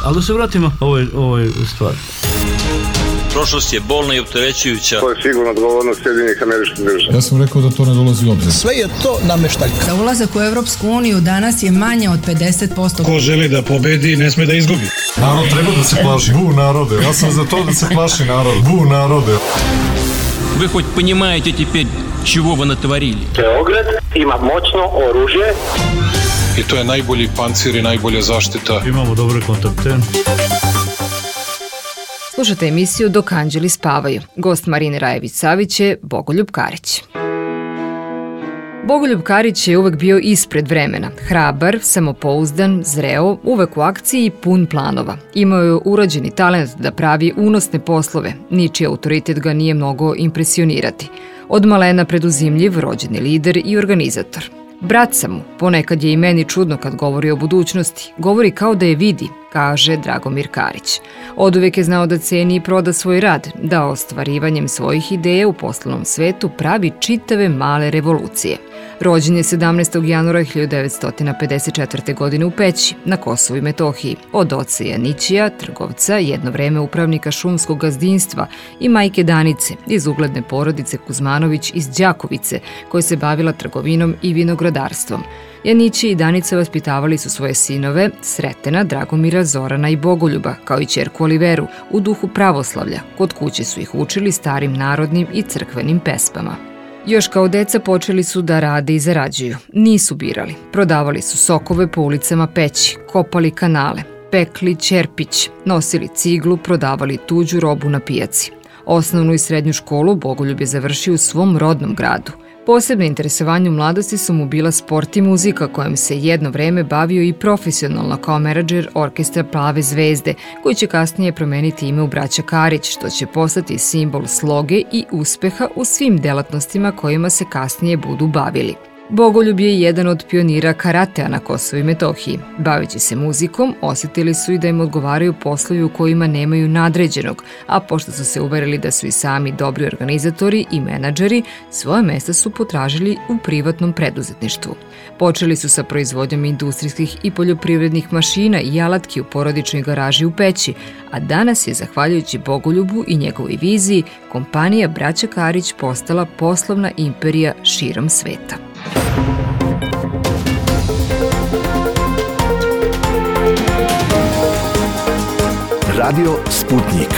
Ali da se vratimo ovoj stvari. Prošlost je bolna i opterećujuća. To je sigurno odgovornost Sjedinjenih Američkih Država. Ja sam rekao da to ne dolazi u obzir. Sve je to nameštaljka. Za ulazak u Evropsku uniju danas je manje od 50%. Ko želi da pobedi, ne sme da izgubi. Narod treba da se plaši. Bu narode. Ja sam za to da se plaši narod. Bu narode. Вы хоть понимаете теперь, чего вы натворили? Beograd ima moćno oružje. I to je najbolji pancir i najbolja zaštita. Imamo dobre kontakte. Slušate emisiju Dok anđeli spavaju. Gost Marine Rajević-Savić je Bogoljub Karić. Bogoljub Karić je uvek bio ispred vremena. Hrabar, samopouzdan, zreo, uvek u akciji i pun planova. Imao je urađeni talent da pravi unosne poslove. Ničiji autoritet ga nije mnogo impresionirati. Od malena preduzimljiv, rođeni lider i organizator. Brat sam mu, ponekad je i meni čudno kad govori o budućnosti. Govori kao da je vidi, kaže Dragomir Karić. Oduvek je znao da ceni i proda svoj rad, da ostvarivanjem svojih ideja u poslovnom svetu pravi čitave male revolucije. Rođen je 17. januara 1954. godine u Peći, na Kosovu i Metohiji, od oca Janićija, trgovca, jedno vreme upravnika šumskog gazdinstva, i majke Danice, iz ugledne porodice Kuzmanović iz Đakovice, koja se bavila trgovinom i vinogradarstvom. Janići i Danica vaspitavali su svoje sinove, Sretena, Dragomira, Zorana i Bogoljuba, kao i ćerku Oliveru, u duhu pravoslavlja. Kod kuće su ih učili starim narodnim i crkvenim pesmama. Još kao deca počeli su da rade i zarađuju. Nisu birali. Prodavali su sokove po ulicama Peći, kopali kanale, pekli ćerpić, nosili ciglu, prodavali tuđu robu na pijaci. Osnovnu i srednju školu Bogoljub je završio u svom rodnom gradu. Posebno interesovanje u mladosti su mu bila sport i muzika, kojom se jedno vreme bavio i profesionalno kao menadžer orkestra Plave zvezde, koji će kasnije promeniti ime u Braća Karić, što će postati simbol sloge i uspeha u svim delatnostima kojima se kasnije budu bavili. Bogoljub je jedan od pionira karatea na Kosovu i Metohiji. Baveći se muzikom, osjetili su i da im odgovaraju poslovi u kojima nemaju nadređenog, a pošto su se uverili da su i sami dobri organizatori i menadžeri, svoje mesta su potražili u privatnom preduzetništvu. Počeli su sa proizvodnjom industrijskih i poljoprivrednih mašina i alatki u porodičnoj garaži u Peći, a danas je, zahvaljujući Bogoljubu i njegovoj viziji, kompanija Braća Karić postala poslovna imperija širom sveta. Radio Sputnik.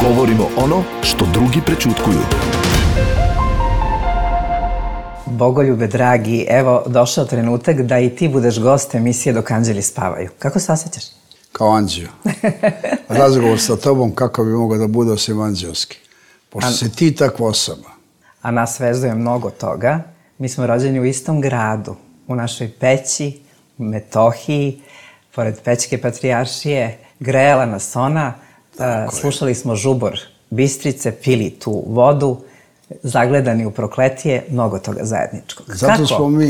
Govorimo ono što drugi prećutkuju. Bogoljube, dragi, evo došao trenutak da i ti budeš gost emisije Dok anđeli spavaju. Kako se osjećaš? Kao anđeo. Razgovor sa tobom kako bi mogao da bude osim anđelski. Pošto si ti takva osoba. A nas vezuje mnogo toga. Mi smo rođeni u istom gradu, u našoj Peći, u Metohiji, pored Pećke patrijaršije, grejala nas ona, slušali smo žubor Bistrice, pili tu vodu, zagledani u prokletije, mnogo toga zajedničkog.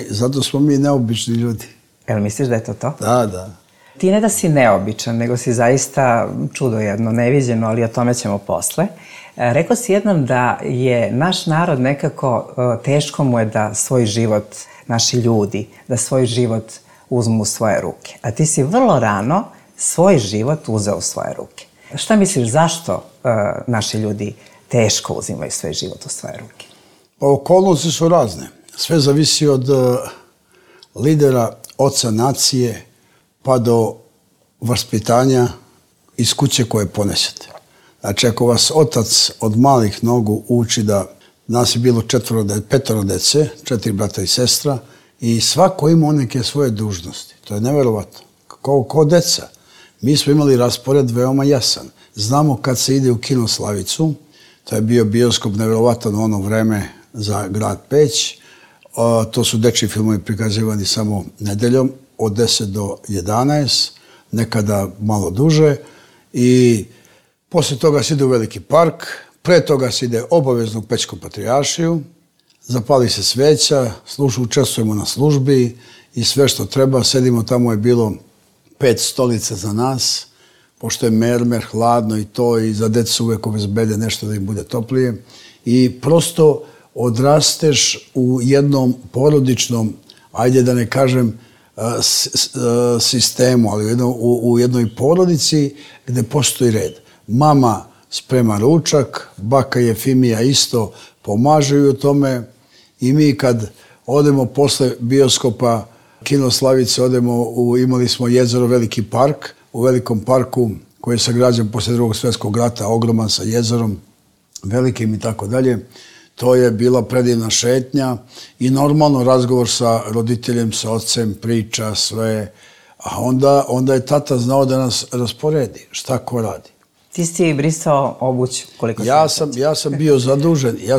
Zato smo mi neobični ljudi. Jel misliš da je to to? Da. Ti ne da si neobičan, nego si zaista čudo jedno, neviđeno, ali o tome ćemo posle. Rekao si jednom da je naš narod nekako, teško mu je da svoj život, naši ljudi, da svoj život uzmu u svoje ruke. A ti si vrlo rano svoj život uzeo u svoje ruke. Šta misliš, zašto naši ljudi teško uzimaju svoj život u svoje ruke? Okolnosti su razne. Sve zavisi od lidera, oca nacije, pa do vaspitanja iz kuće koje ponesete. Znači, ako vas otac od malih nogu uči da nas je bilo 5 dece, 4 brata i sestra, i svako ima neke svoje dužnosti. To je neverovatno. Kao deca. Mi smo imali raspored veoma jasan. Znamo kad se ide u kino Slavicu, to je bio bioskop neverovatan u ono vreme za grad Peć. To su dečji filmovi prikazivani samo nedeljom, od 10 do 11, nekada malo duže. I poslije toga se ide u Veliki park, pre toga se ide obavezno u Pećku patrijaršiju, zapali se sveća, učestvujemo na službi i sve što treba, sedimo, tamo je bilo 5 stolica za nas, pošto je mermer, hladno i to, i za decu uvek obezbede nešto da im bude toplije. I prosto odrasteš u jednom porodičnom, ajde da ne kažem, sistemu, ali u jednoj porodici gde postoji red. Mama sprema ručak, baka Jefimija isto pomažu u tome i mi kad odemo posle bioskopa Kino Slavice, imali smo jezero Veliki park, u Velikom parku koji je sagrađen posle Drugog svjetskog rata, ogroman sa jezerom velikim i tako dalje. To je bila predivna šetnja i normalno razgovor sa roditeljem, sa ocem, priča, sve. A onda je tata znao da nas rasporedi, šta ko radi. Ti si brisao obuć koliko Ja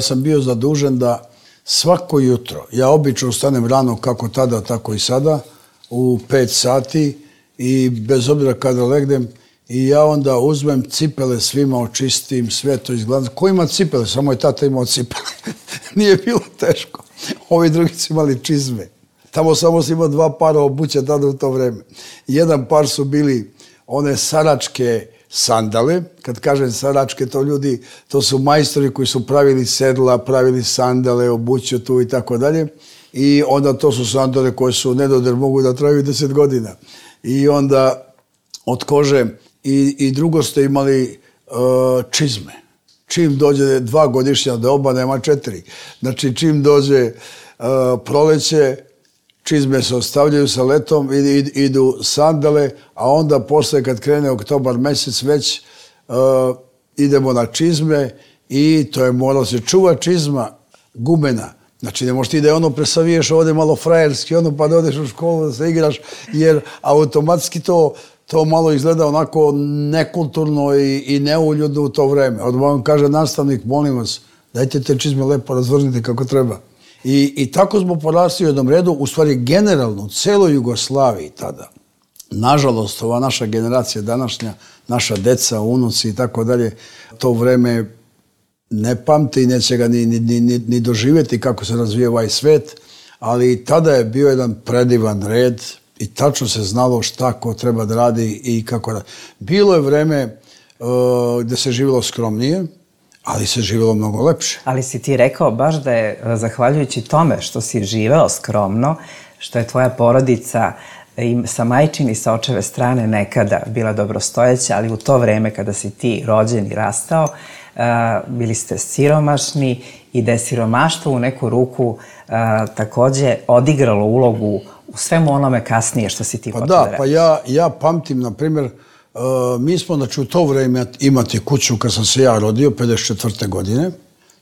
sam bio zadužen da svako jutro, ja obično ustanem rano kako tada, tako i sada, u 5 sati i bez obzira kada legnem, i ja onda uzmem cipele, svima očistim, sve to izgledam. Ko ima cipele? Samo je tata imao cipele. Nije bilo teško. Ovi drugi su imali čizme. Tamo samo si imao 2 para obuće tada u to vreme. Jedan par su bili one saračke sandale. Kad kažem saračke, to su majstori koji su pravili sedla, pravili sandale, obuću tu i tako dalje. I onda to su sandale koje su nedodir, mogu da traju 10 godina. I onda od kože. I drugo ste imali čizme. Čim dođe 2 godišnja doba, nema 4. Znači, čim dođe proleće, čizme se ostavljaju sa letom, idu sandale, a onda posle kad krene oktobar mesec već idemo na čizme i to je moralo se čuva čizma gumena. Znači, ne možeš ti da je presaviješ ovdje malo frajerski, pa da odeš u školu da se igraš, jer automatski to malo izgleda onako nekulturno i neuljudno u to vreme. Odmah vam kaže nastavnik, molim vas, dajte te čizme lepo razvrnite kako treba. I tako smo porasli u jednom redu, u stvari generalno, u celoj Jugoslaviji tada. Nažalost, ova naša generacija današnja, naša deca, unuci i tako dalje, to vreme ne pamte i neće ga ni doživjeti kako se razvija ovaj svet, ali tada je bio jedan predivan red i tačno se znalo šta ko treba da radi i kako radi. Bilo je vreme gde se živjelo skromnije, ali se živjelo mnogo lepše. Ali si ti rekao baš da je, zahvaljujući tome što si živeo skromno, što je tvoja porodica i sa majčine i sa očeve strane nekada bila dobrostojeća, ali u to vreme kada si ti rođen i rastao, bili ste siromašni i da je siromaštvo u neku ruku takođe odigralo ulogu u svemu onome kasnije što si ti počeo da reći. Pa ja pamtim, na primjer, mi smo, znači, u to vreme imati kuću kad sam se ja rodio, 54. godine,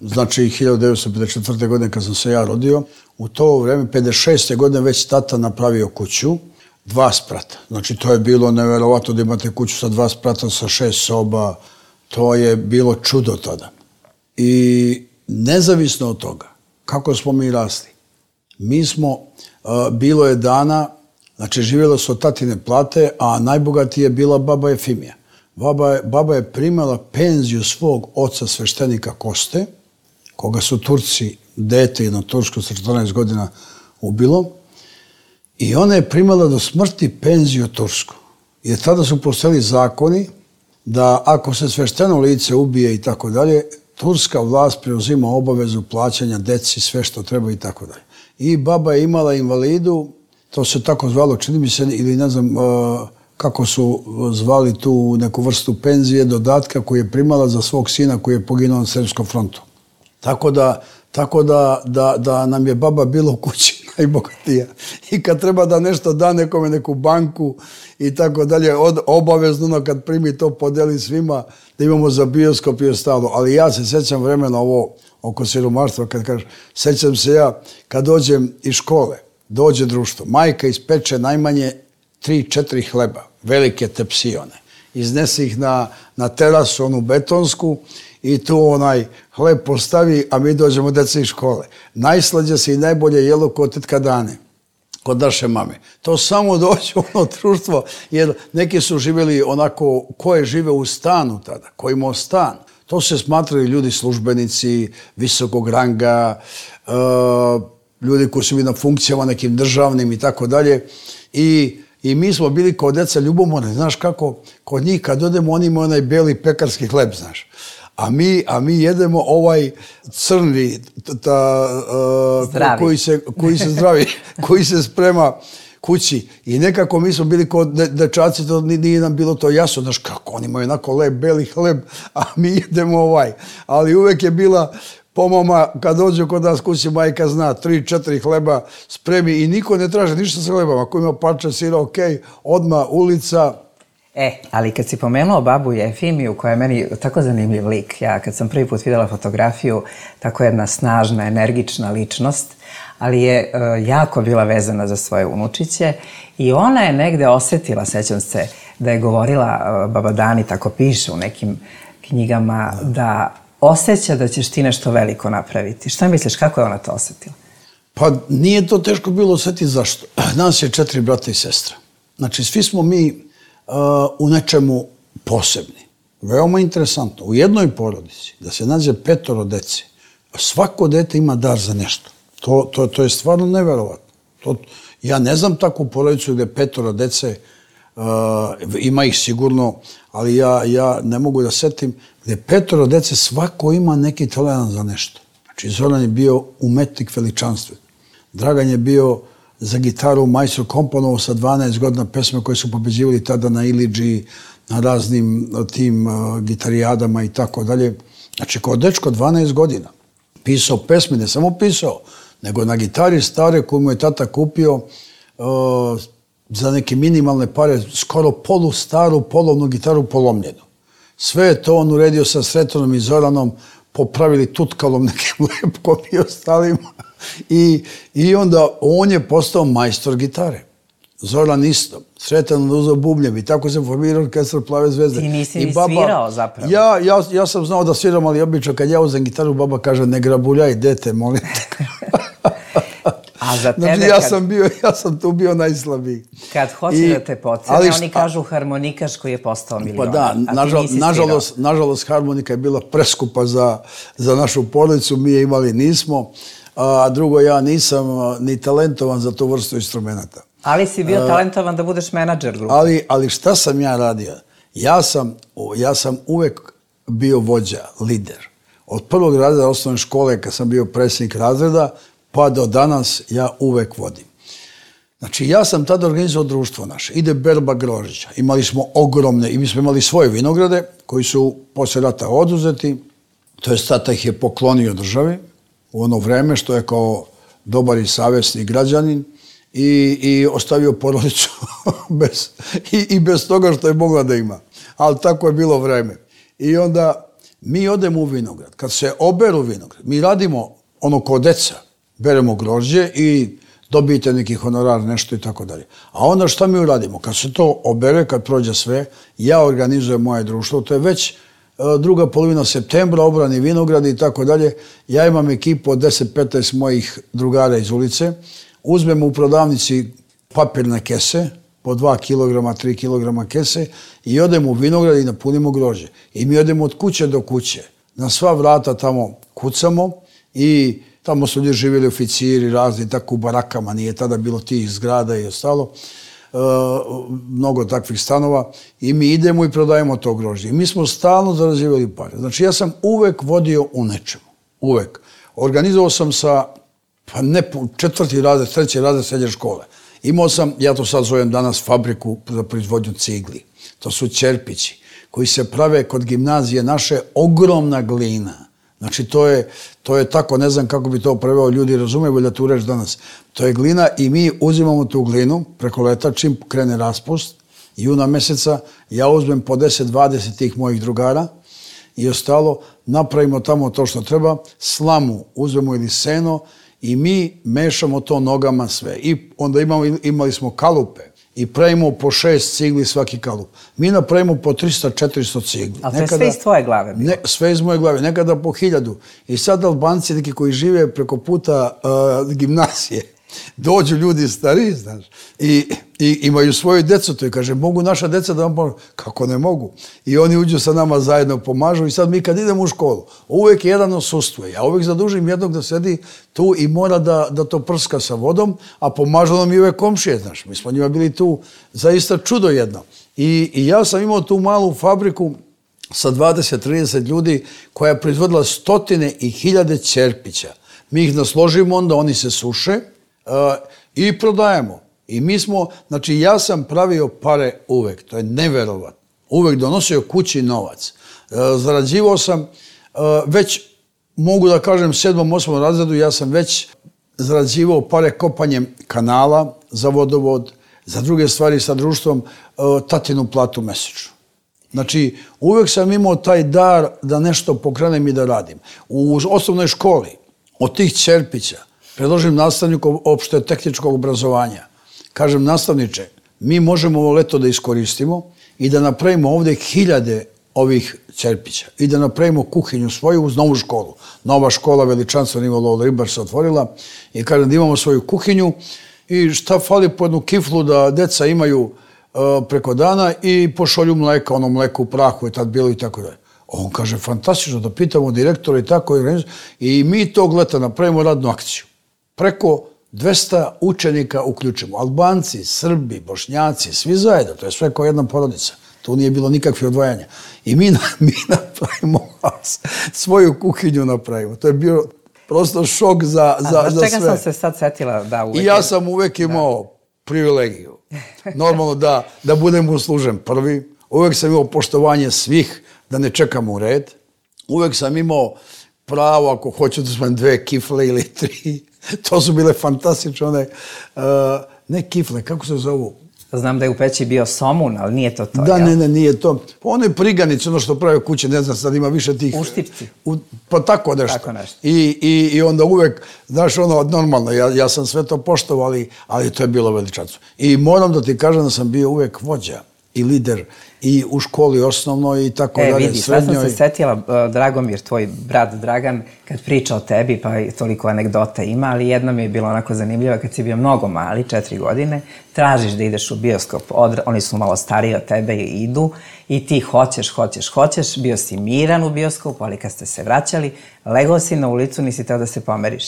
znači 1954. godine kad sam se ja rodio, u to vreme, 56. godine, već tata napravio kuću, 2 sprata. Znači, to je bilo neverovatno da imate kuću sa 2 sprata, sa 6 soba, to je bilo čudo tada. I nezavisno od toga, kako smo mi rasli, mi smo, bilo je dana, znači živjela su od tatine plate, a najbogatija je bila baba Jefimija. Baba je primala penziju svog oca sveštenika Koste, koga su Turci, dete jedno tursko sa 14 godina ubilo, i ona je primala do smrti penziju tursku. Jer tada su postojali zakoni da ako se svešteno lice ubije i tako dalje, turska vlast preuzima obavezu plaćanja deci, sve što treba i tako dalje. I baba je imala invalidu, to se tako zvalo, čini mi se, ili ne znam kako su zvali tu neku vrstu penzije, dodatka koju je primala za svog sina koji je poginuo na Srpskom frontu. Tako da nam je baba bila u kući najbogatija. I kad treba da nešto da nekome, neku banku i tako dalje, obavezno kad primi to podeli svima, da imamo za bioskop i ostalo. Ali ja se sećam vremena ovo oko siromaštva, kad kažem, sećam se ja kad dođem iz škole, dođe društvo, majka ispeče najmanje 3-4 hleba, velike tepsione. Iznese ih na terasu, onu betonsku, i tu onaj hleb postavi, a mi dođemo deca iz škole. Najslađe se i najbolje jelo kod tetka Dane, kod naše mame. To samo dođe u ono društvo, jer neki su živjeli onako, ko je žive u stanu tada, ko imao stan. To se smatrali ljudi službenici, visokog ranga, ljudi koji su bili na funkcijama nekim državnim i tako dalje. I mi smo bili kao deca ljubomorni, znaš kako, kod njih kad odemo, oni imaju onaj beli pekarski hleb, znaš. A mi jedemo ovaj crni, koji se zdravi, kući i nekako mi smo bili kod dečaci, to nije nam bilo to jasno, znaš kako, oni imaju onako lep, beli hleb, a mi jedemo Ali uvek je bila pomama, kad dođu kod nas kući, majka zna, 3-4 hleba spremi i niko ne traže ništa sa hlebom. Ako ima parče sira, okej, odmah ulica. Ali kad si pomenuo babu Jefimiju, koja je meni tako zanimljiv lik, ja kad sam prvi put videla fotografiju, tako jedna snažna, energična ličnost, ali je jako bila vezana za svoje unučiće i ona je negde osetila, sećam se, da je govorila, baba Dani tako piše u nekim knjigama, da osjeća da ćeš ti nešto veliko napraviti. Šta misliš, kako je ona to osetila? Pa nije to teško bilo osetiti, zašto? Nas je 4 brata i sestra. Znači, svi smo mi u nečemu posebni. Veoma interesantno. U jednoj porodici, da se nađe 5 dece, svako dete ima dar za nešto. To je stvarno neverovatno. Ja ne znam takvu porodicu gde 5 dece, ima ih sigurno, ali ja ne mogu da setim, gde 5 dece svako ima neki talent za nešto. Znači, Zoran je bio umetnik veličanstven. Dragan je bio za gitaru majstor, komponovao sa 12 godina pesme koje su pobeđivali tada na Iliđi, na raznim tim gitarijadama i tako dalje. Znači, kao dečko 12 godina. Pisao pesme, ne samo pisao, nego na gitari stare koju mu je tata kupio za neke minimalne pare, skoro polustaru polovnu gitaru polomljenu. Sve je to on uredio sa Sretonom i Zoranom, popravili tutkalom nekim lepkom i ostalima. I onda on je postao majstor gitare. Zoran isto. Sretan uzeo bubnjev i tako se formirao orkestar Plave zvezde. Ti nisi ni svirao zapravo. Ja sam znao da sviram, ali obično kad ja uzem gitaru, baba kaže ne grabuljaj, dete, molim te. A za tebe znači, ja sam tu bio najslabiji. Kad hoće da te pocene, oni kažu harmonikaš koji je postao milion. Pa da, nažalost harmonika je bila preskupa za našu porodicu, mi je imali nismo, a drugo ja nisam ni talentovan za tu vrstu instrumenta. Ali si bio talentovan da budeš menadžer grupe. Ali šta sam ja radio? Ja sam uvek bio vođa, lider. Od prvog razreda osnovne škole, kad sam bio predsjednik razreda, pa do danas ja uvek vodim. Znači, ja sam tada organizovao društvo naše. Ide berba grožđa. Imali smo ogromne, i mi smo imali svoje vinograde, koji su posle rata oduzeti. To je tata ih je poklonio državi u ono vreme, što je kao dobar i savjesni građanin i ostavio porodicu bez toga što je mogla da ima. Ali tako je bilo vreme. I onda mi odemo u vinograd. Kad se oberu vinograd, mi radimo ono kao deca, beremo grožđe i dobijete neki honorar, nešto i tako dalje. A onda šta mi uradimo? Kad se to obere, kad prođe sve, ja organizujem moje društvo, to je već druga polovina septembra, obrani vinogradi i tako dalje. Ja imam ekipu od 10-15 mojih drugara iz ulice, uzmemo u prodavnici papirne kese, po 2 kg, 3 kg kese i odemo u vinograd i napunimo grožđe. I mi odemo od kuće do kuće. Na sva vrata tamo kucamo i tamo su ljudi živjeli oficiri, razni, tako u barakama, nije tada bilo tih zgrada i ostalo, mnogo takvih stanova i mi idemo i prodajemo to grožđe. I mi smo stalno zarađivali pare. Znači, ja sam uvek vodio u nečemu. Uvek. Organizovao sam sa, pa ne 4. razred, 3. razred srednje škole. Imao sam, ja to sad zovem danas, fabriku za proizvodnju cigli. To su ćerpići koji se prave kod gimnazije naše, ogromna glina. Znači, to je tako, ne znam kako bi to preveo, ljudi razumeju da tu reč danas. To je glina i mi uzimamo tu glinu preko leta, čim krene raspust, juna meseca, ja uzmem po 10-20 tih mojih drugara i ostalo, napravimo tamo to što treba, slamu uzmemo ili seno i mi mešamo to nogama sve. I onda imali smo kalupe i pravimo po 6 cigli svaki kalup. Mi napravimo po 300-400 cigli. Ali to je sve iz tvoje glave? Sve iz moje glave, nekada po 1000. I sad Albanci, neki koji žive preko puta gimnazije, dođu ljudi stariji, znaš, i imaju svoju decu, to i kaže, mogu naša deca da vam pomožu? Kako ne mogu? I oni uđu sa nama zajedno, pomažu i sad mi kad idemo u školu, uvek jedan odsustuje. Ja uvek zadužim jednog da sedi tu i mora da to prska sa vodom, a pomažu nam i ove komšije, znaš. Mi smo njima bili tu zaista čudo jedno. I ja sam imao tu malu fabriku sa 20-30 ljudi koja je proizvodila stotine i hiljade ćerpića. Mi ih nasložimo, onda oni se suše, i prodajemo. I mi smo, znači ja sam pravio pare uvek, to je neverovatno. Uvek donosio kući novac. Zarađivao sam već, mogu da kažem, 7. 8. razredu, ja sam već zarađivao pare kopanjem kanala za vodovod, za druge stvari sa društvom, tatinu platu mesečno. Znači, uvek sam imao taj dar da nešto pokrenem i da radim. U osnovnoj školi, od tih Ćerpića, predložim nastavniku opšte tehničkog obrazovanja. Kažem, nastavniče, mi možemo ovo leto da iskoristimo i da napravimo ovde 1000 ovih Ćerpića i da napravimo kuhinju svoju uz novu školu. Nova škola veličanstvena Ivo Ribar se otvorila i kažem da imamo svoju kuhinju i šta fali po jednu kiflu da deca imaju preko dana i pošolju mleka, ono mleko u prahu je tad bilo i tako dalje. On kaže, fantastično, da pitamo direktora i tako i mi tog leta napravimo radnu akciju. Preko 200 učenika uključimo. Albanci, Srbi, Bošnjaci, svi zajedno, to je sve kao jedna porodica. Tu nije bilo nikakve odvajanja. I mi napravimo svoju kuhinju napravimo. To je bio prosto šok za sve. Čega sam se sad setila da uvek... I ja sam uvek imao privilegiju. Normalno da budem uslužen prvi. Uvek sam imao poštovanje svih, da ne čekam u red. Uvek sam imao pravo, ako hoću da smem 2 kifle ili 3. To su bile fantastične one, ne kifle, kako se zovu? Znam da je u peći bio somun, ali nije to to, Da, ne, nije to. Ono je priganice, ono što prave kuće, ne znam, sad ima više tih... Uštipci. Pa tako nešto. Tako nešto. I onda uvek, znaš, ono, normalno, ja sam sve to poštovao, ali to je bilo veličanstvo. I moram da ti kažem da sam bio uvek vođa i lider i u školi osnovnoj i tako dalje, vidi, srednjoj. sad sam se setila, Dragomir, tvoj brat Dragan, kad priča o tebi, pa toliko anegdota ima, ali jedna mi je bila onako zanimljiva, kad si bio mnogo mali, 4 godine, tražiš da ideš u bioskop, oni su malo stariji od tebe i idu, i ti hoćeš, bio si miran u bioskopu, ali kad ste se vraćali, legao si na ulicu, nisi teo da se pomeriš.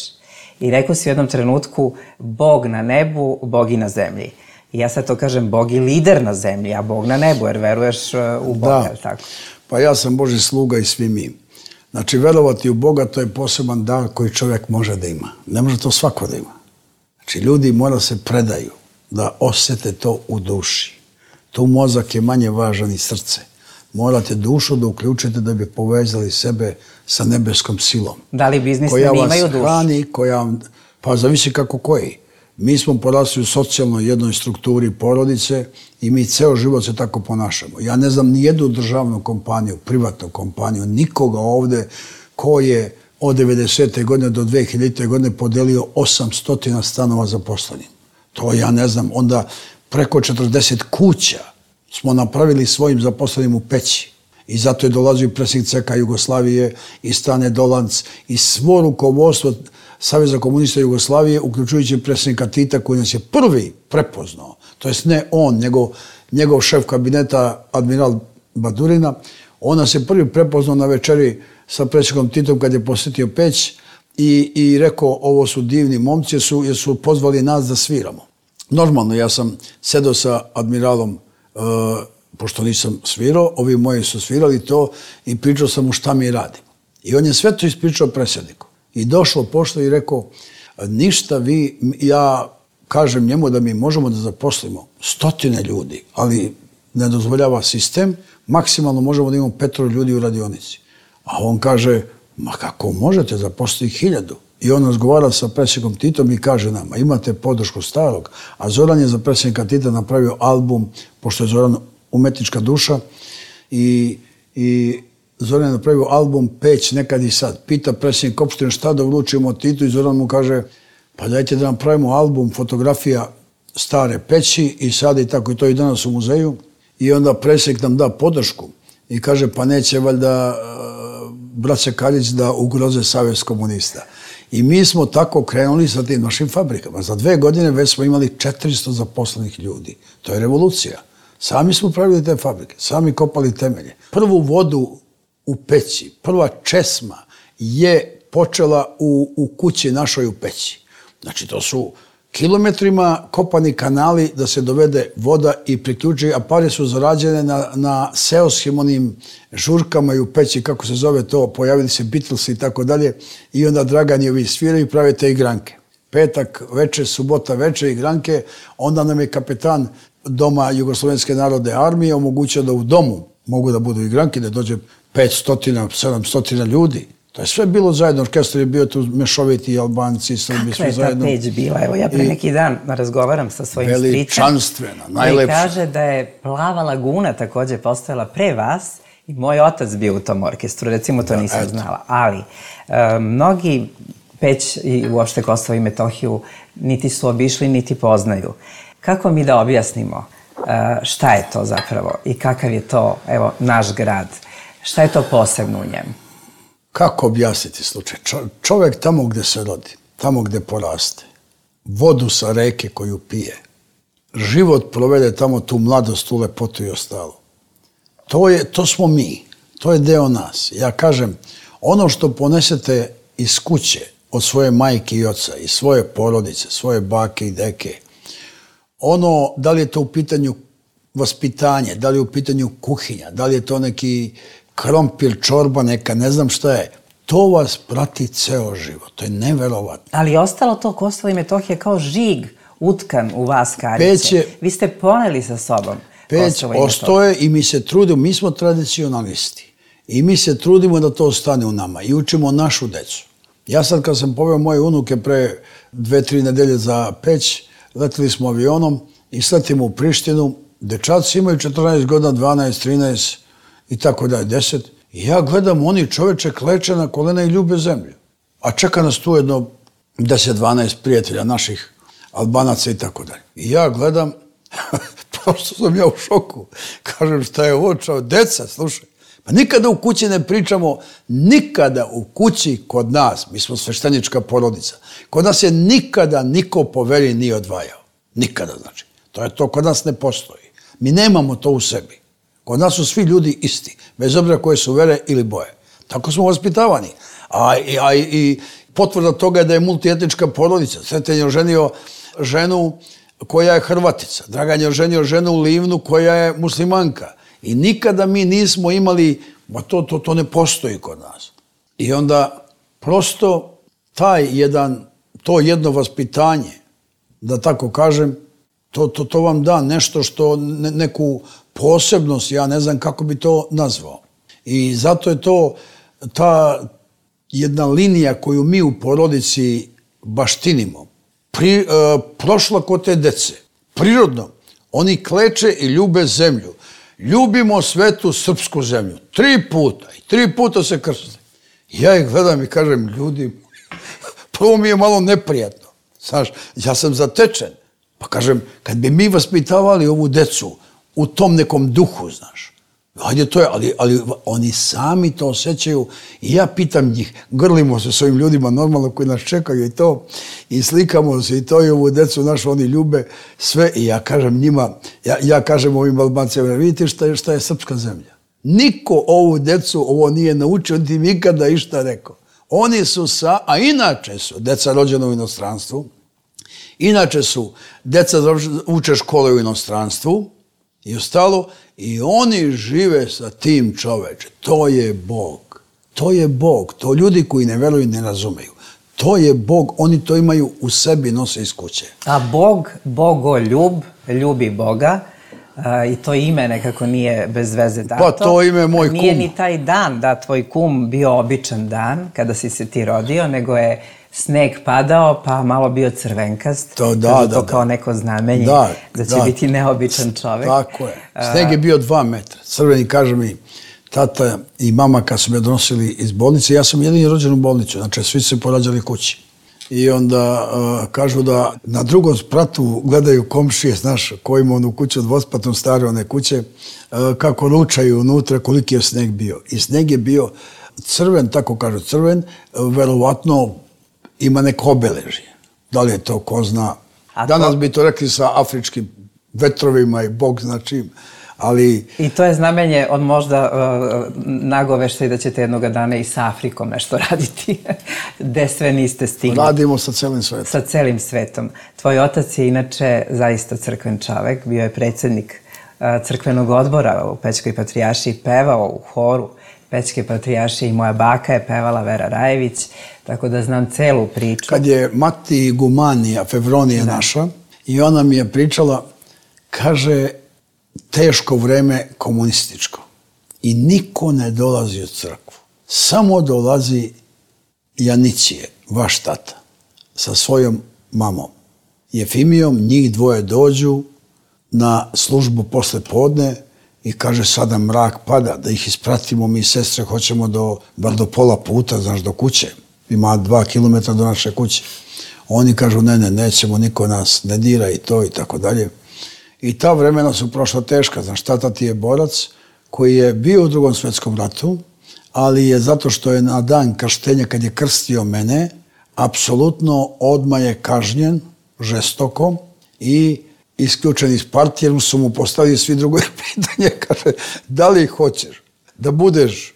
I rekao si u jednom trenutku, Bog na nebu, Bog i na zemlji. I ja sad to kažem, Bog je lider na zemlji, a Bog na nebu, jer veruješ u Boga, je li tako? Pa ja sam Božji sluga i svi mi. Znači, verovati u Boga, to je poseban dar koji čovjek može da ima. Ne može to svako da ima. Znači, ljudi mora se predaju da osjete to u duši. Tu mozak je manje važan i srce. Morate dušu da uključite da bi povezali sebe sa nebeskom silom. Da li biznismeni imaju dušu? Koja vas hrani, pa zavisi kako koji. Mi smo porasli u socijalnoj jednoj strukturi porodice i mi ceo život se tako ponašamo. Ja ne znam ni jednu državnu kompaniju, privatnu kompaniju, nikoga ovde ko je od 90. godine do 2000. godine podelio 800 stanova zaposlenim. To ja ne znam. Onda preko 40 kuća smo napravili svojim zaposlenim u Peći. I zato je dolazio i predsjednik CK Jugoslavije i Stane Dolanc i svo rukovodstvo Saveza komunista Jugoslavije, uključujući predsjednika Tita, koji nas je prvi prepoznao. To jest ne on, njegov šef kabineta, admiral Badurina, on nas je prvi prepoznao na večeri sa predsjednikom Titom kad je posjetio Peć i rekao, ovo su divni momci jer su pozvali nas da sviramo. Normalno, ja sam sedao sa admiralom, pošto nisam svirao, ovi moji su svirali to i pričao sam mu šta mi radimo. I on je sve to ispričao predsjedniku. I došlo pošto i rekao, ništa ja kažem njemu da mi možemo da zaposlimo 100 ljudi, ali ne dozvoljava sistem, maksimalno možemo da imamo 5 ljudi u radionici. A on kaže, ma kako možete zaposliti 1000? I on razgovara sa predsjednikom Titom i kaže nama, imate podršku starog, a Zoran je za predsjednika Tita napravio album, pošto je Zoran umetnička duša, i Zoran je napravio album Peć nekad i sad. Pita predsjednik opštine šta da uručimo Titu i Zoran mu kaže, pa dajte da napravimo album fotografija stare Peći i sad i tako i to i danas u muzeju. I onda predsjednik nam da podršku i kaže, pa neće valjda braća Kaljić da ugroze Savez komunista. I mi smo tako krenuli sa tim našim fabrikama. Za 2 godine već smo imali 400 zaposlenih ljudi. To je revolucija. Sami smo pravili te fabrike, sami kopali temelje. Prvu vodu u Peći, prva česma je počela u kući našoj u Peći. Znači, to su kilometrima kopani kanali da se dovede voda i priključi, a pare su zarađene na seoskim onim žurkama i u Peći, kako se zove to, pojavili se Beatlesi i tako dalje, i onda Dragan i ovi sviraju i prave te igranke. petak veče, subota veče igranke, onda nam je kapetan Doma Jugoslovenske narodne armije omogućio da u domu mogu da budu igranke, da dođe 500, 700 ljudi. To je sve bilo zajedno, orkestar je bio tu mešoviti, Albanci, Srbi, sve zajedno. Kakva je ta Peć bila? Evo, ja pre neki dan razgovaram sa svojim stricem. Veličanstvena, najlepša. I kaže da je Plava laguna takođe postojala pre vas i moj otac bio u tom orkestru, recimo to nisam znala. Ali, mnogi Peć i uopšte Kosovo i Metohiju niti su obišli, niti poznaju. Kako mi da objasnimo šta je to zapravo i kakav je to, evo, naš grad? Šta je to posebno u njemu? Kako objasniti slučaj? Čovjek tamo gde se rodi, tamo gde poraste, vodu sa reke koju pije, život provede tamo, tu mladost, tu lepotu i ostalo. To smo mi, to je deo nas. Ja kažem, ono što ponesete iz kuće, od svoje majke i oca, iz svoje porodice, svoje bake i deke, ono, da li je to u pitanju vaspitanje, da li je u pitanju kuhinja, da li je to neki krompir, čorba, neka, ne znam šta je, to vas prati ceo život. To je neverovatno. Ali je ostalo to Kosovo i Metohija kao žig utkan u vas, Kariće. Vi ste poneli sa sobom Peć ostoje i mi se trudimo, mi smo tradicionalisti i mi se trudimo da to ostane u nama i učimo našu decu. Ja sad kad sam poveo moje unuke pre 2-3 nedelje za Peć, letili smo avionom i sletimo u Prištinu, dečaci imaju 14 godina, 12, 13 i tako dalje, 10. I ja gledam, oni čoveče kleče na kolena i ljube zemlju. A čeka nas tu jedno 10-12 prijatelja naših Albanaca i tako dalje. I ja gledam, prosto sam ja u šoku. Kažem, šta je ovo čao? Deca, slušaj. Pa nikada u kući ne pričamo, nikada u kući kod nas, mi smo sveštenička porodica, kod nas je nikada niko po veri nije odvajao. Nikada, znači. To kod nas ne postoji. Mi nemamo to u sebi. Kod nas su svi ljudi isti, bez obzira koje su vere ili boje. Tako smo vaspitavani. A i potvrda toga je da je multietnička porodica. Sreten je oženio ženu koja je Hrvatica. Dragan je oženio ženu u Livnu koja je muslimanka. I nikada mi nismo imali, to ne postoji kod nas. I onda prosto to jedno vaspitanje, da tako kažem, to vam da nešto što, neku posebnost, ja ne znam kako bi to nazvao. I zato je to ta jedna linija koju mi u porodici baštinimo, prošla kod te dece. Prirodno, oni kleče i ljube zemlju. Ljubimo svetu srpsku zemlju. 3 puta. I 3 puta se krste. Ja ih gledam i kažem, ljudi, prvo mi je malo neprijatno. Znaš, ja sam zatečen. Pa kažem, kad bi mi vaspitavali ovu decu u tom nekom duhu, znaš, hajde to je, ali oni sami to osjećaju i ja pitam njih, grlimo se s ovim ljudima normalno koji nas čekaju i to, i slikamo se i to i ovu decu našu, oni ljube sve i ja kažem njima, ja kažem ovim Albancima, vidite šta je srpska zemlja. Niko ovu decu ovo nije naučio, niti nikada išta rekao. Oni su a inače su deca rođena u inostranstvu, inače su deca uče škole u inostranstvu i ostalo, i oni žive sa tim čoveče. To je Bog. To je Bog. To ljudi koji ne veruju ne razumeju. To je Bog. Oni to imaju u sebi, nose iz kuće. A Bog, Bogoljub, ljubi Boga, i to ime nekako nije bez veze dato. Pa to ime moj kum. Nije ni taj dan da tvoj kum bio običan dan kada si se ti rodio, nego je sneg padao, pa malo bio crvenkast. To kao neko znamenje da će biti neobičan čovek. Tako je. Sneg je bio 2 metra. Crveni, kaže mi, tata i mama kad su me donosili iz bolnice, ja sam jedini rođen u bolnicu, znači svi se porađali kući. I onda kažu da na drugom spratu gledaju komšije, znaš, koji ima onu kuću dvospratnu, stare one kuće, kako ručaju unutra, koliki je sneg bio. I sneg je bio crven, tako kažu crven, verovatno ima neko obeležje. Da li je to, ko zna. Danas bi to rekli sa afričkim vetrovima i Bog zna čim. Ali... I to je znamenje od možda nagoveštaj da ćete jednoga dana i sa Afrikom nešto raditi, gde sve niste stigli. Radimo sa celim svetom. Sa celim svetom. Tvoj otac je inače zaista crkven čovek, bio je predsjednik crkvenog odbora u Pećkoj patrijaršiji, pevao u horu. Pećke patrijaršije i moja baka je pevala, Vera Rajević, tako da znam celu priču. Kad je mati Gumanija, Fevronija naša, i ona mi je pričala, kaže, teško vreme komunističko. I niko ne dolazi u crkvu. Samo dolazi Janićije, vaš tata, sa svojom mamom. Jefimijom, njih dvoje dođu na službu posle podne i kaže, sada mrak pada, da ih ispratimo, mi sestre hoćemo bar do pola puta, znaš, do kuće. Ima 2 kilometra do naše kuće. Oni kažu, ne, nećemo, niko nas ne dira i to i tako dalje. I ta vremena su prošla teška. Znaš, tata ti je borac koji je bio u Drugom svjetskom ratu, ali je zato što je na dan krštenja, kad je krstio mene, apsolutno odmah je kažnjen žestoko i isključen iz partije, jer su mu postavili svi drugo pitanje, kaže, da li hoćeš da budeš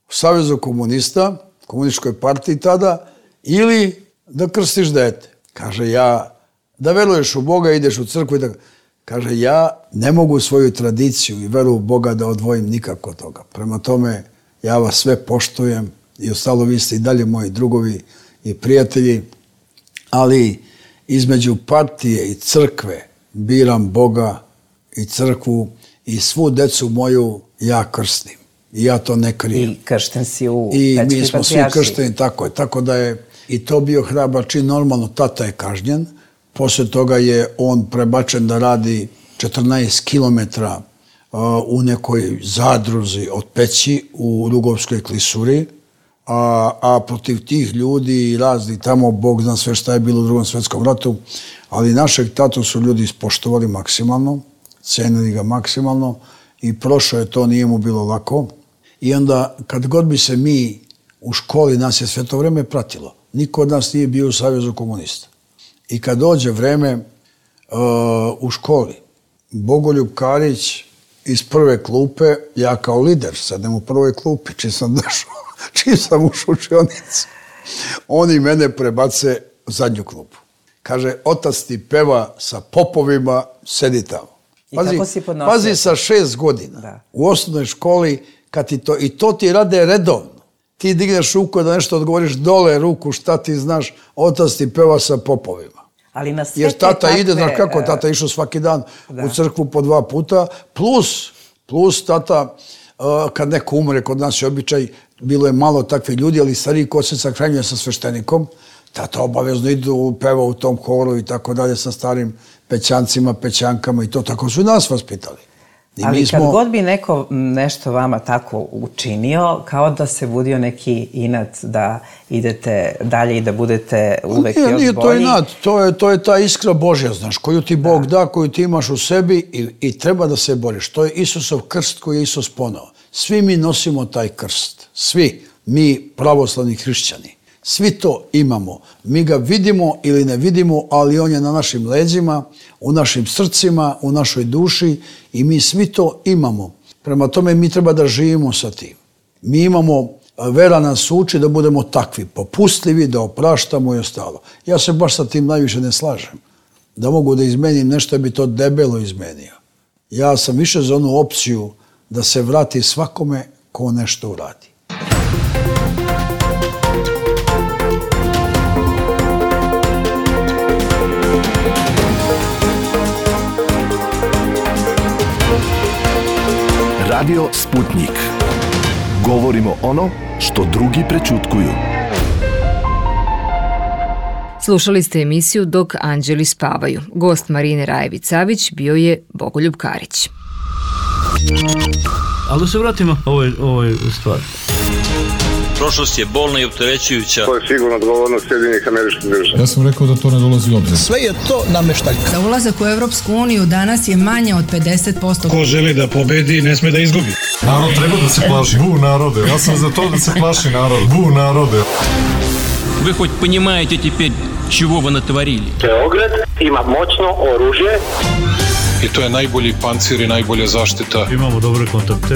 u Savezu komunista, komunističkoj partiji tada, ili da krstiš dete. Kaže, ja, da veruješ u Boga, ideš u crkvu i da... Kaže, ja ne mogu svoju tradiciju i veru u Boga da odvojim nikako od toga. Prema tome, ja vas sve poštujem i ostalo vi ste i dalje moji drugovi i prijatelji, ali između partije i crkve biram Boga i crkvu i svu decu moju ja krstim. I ja to ne krijem. I kršten si u I Pećkoj mi smo svi patrijaršiji. kršteni, tako je. Tako da je i to bio hrabar čin. Normalno, tata je kažnjen. Poslije toga je on prebačen da radi 14 kilometra u nekoj zadruzi od Peći u Rugovskoj klisuri, a protiv tih ljudi i razni tamo, Bog zna sve šta je bilo u Drugom svjetskom ratu, ali našeg tatu su ljudi ispoštovali maksimalno, cenili ga maksimalno i prošlo je to, nije mu bilo lako. I onda, kad god bi se mi u školi, nas je sve to vreme pratilo, niko od nas nije bio u Savezu komunista. I kad dođe vreme u školi, Bogoljub Karić iz prve klupe, ja kao lider, sedem u prvoj klupi, čim sam ušao u učionicu, oni mene prebace u zadnju klupu. Kaže, otac ti peva sa popovima, sedi tamo. Pazi, sa 6 godina. Da. U osnovnoj školi, kad ti to, i to ti rade redovno. Ti digneš ruku da nešto odgovoriš, dole ruku, šta ti znaš, otac ti peva sa popovima. Ali na sve jer tata ide, znaš kako, tata išao svaki dan u crkvu po 2 puta, plus tata, kad neko umre, kod nas je običaj, bilo je malo takvi ljudi, ali stariji ko se sahranjuje sa sveštenikom, tata obavezno idu, peva u tom horu i tako dalje sa starim pećancima, pećankama i to, tako su i nas vaspitali. Ali kad god bi neko nešto vama tako učinio, kao da se budio neki inat da idete dalje i da budete uvek još bolji. Nije to inat, to je ta iskra Božja, znaš, koju ti Bog da, koju ti imaš u sebi i treba da se boriš. To je Isusov krst koji je Isus poneo. Svi mi nosimo taj krst. Svi, mi pravoslavni hrišćani. Svi to imamo. Mi ga vidimo ili ne vidimo, ali on je na našim leđima, u našim srcima, u našoj duši i mi svi to imamo. Prema tome mi treba da živimo sa tim. Mi imamo, vera nas uči da budemo takvi, popustljivi, da opraštamo i ostalo. Ja se baš sa tim najviše ne slažem. Da mogu da izmenim nešto, bi to debelo izmenio. Ja sam više za onu opciju da se vrati svakome ko nešto uradi. Radio Sputnik. Govorimo ono što drugi prećutkuju. Slušali ste emisiju Dok anđeli spavaju. Gost Marine Rajević-Savić bio je Bogoljub Karić. Ali da se vratimo ovoj stvari. Prošlost je bolna i opterećujuća. To je sigurno odgovornost Sjedinjenih Američkih Država. Ja sam rekao da to ne dolazi u obzir. Sve je to nameštaljka. Za ulazak u Evropsku uniju danas je manje od 50%. Ko želi da pobedi, ne sme da izgubi. Narod treba da se plaši. Bu narode. Ja sam za to da se plaši narod. Bu narode. Вы хоть понимаете теперь, чего вы натворили? Beograd ima moćno oružje. I to je najbolji pancir i najbolja zaštita. Imamo dobre kontakte.